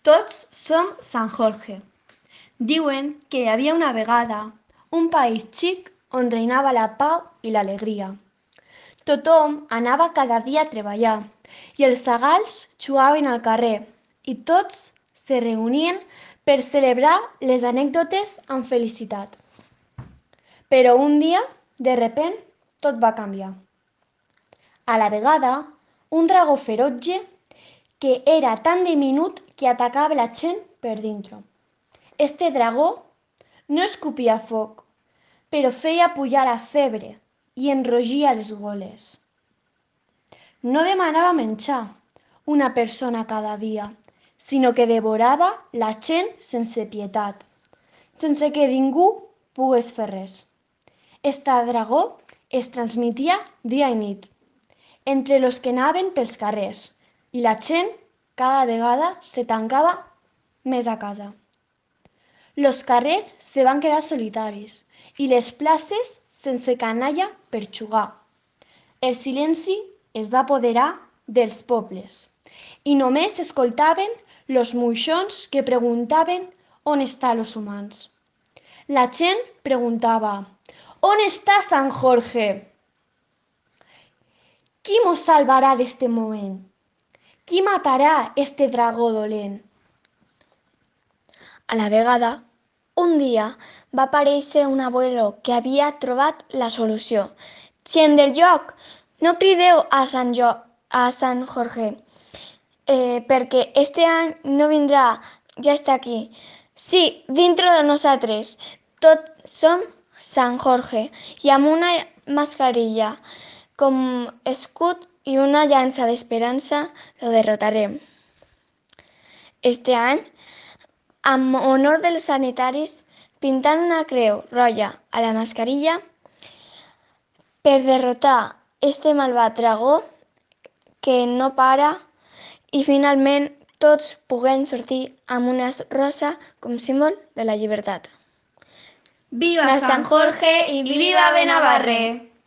Tots som Sant Jorge. Diuen que hi havia una vegada un país xic on reinava la pau i l'alegria. Tothom anava cada dia a treballar i els zagals jugaven al carrer i tots se reunien per celebrar les anècdotes amb felicitat. Però un dia, de repent, tot va canviar. A la vegada, un dragó ferotge que era tan diminut que atacava la gent per dintre. Este dragó no escopia foc, però feia pujar la febre i enrogia les goles. No demanava menjar una persona cada dia, sinó que devorava la gent sense pietat, sense que ningú pogués fer res. Este dragó es transmetia dia i nit, entre los que anaven pels carrers, i la gent cada vegada se tancava més a casa. Los carrers se van quedar solitaris i les places sense canalla per jugar. El silenci es va apoderar dels pobles i només escoltaven los moixons que preguntaven on estan los humans. La gent preguntava: «On està Sant Jorge? Qui mos salvarà d'este moment? Qui matarà este dragó dolent?» A la vegada, un dia va aparèixer un abuelo que havia trobat la solució. «Gent del lloc, no crideu a Sant Jorge, perquè este any no vindrà, ja està aquí. Sí, dintre de nosaltres, tots som Sant Jorge i amb una mascarilla com escut i una llança d'esperança lo derrotarem. Este any, amb honor dels sanitaris, pintant una creu roja a la mascarilla per derrotar este malvat dragó que no para i finalment tots puguem sortir amb una rosa com símbol de la llibertat. Viva Sant Jorge i viva Benavarre!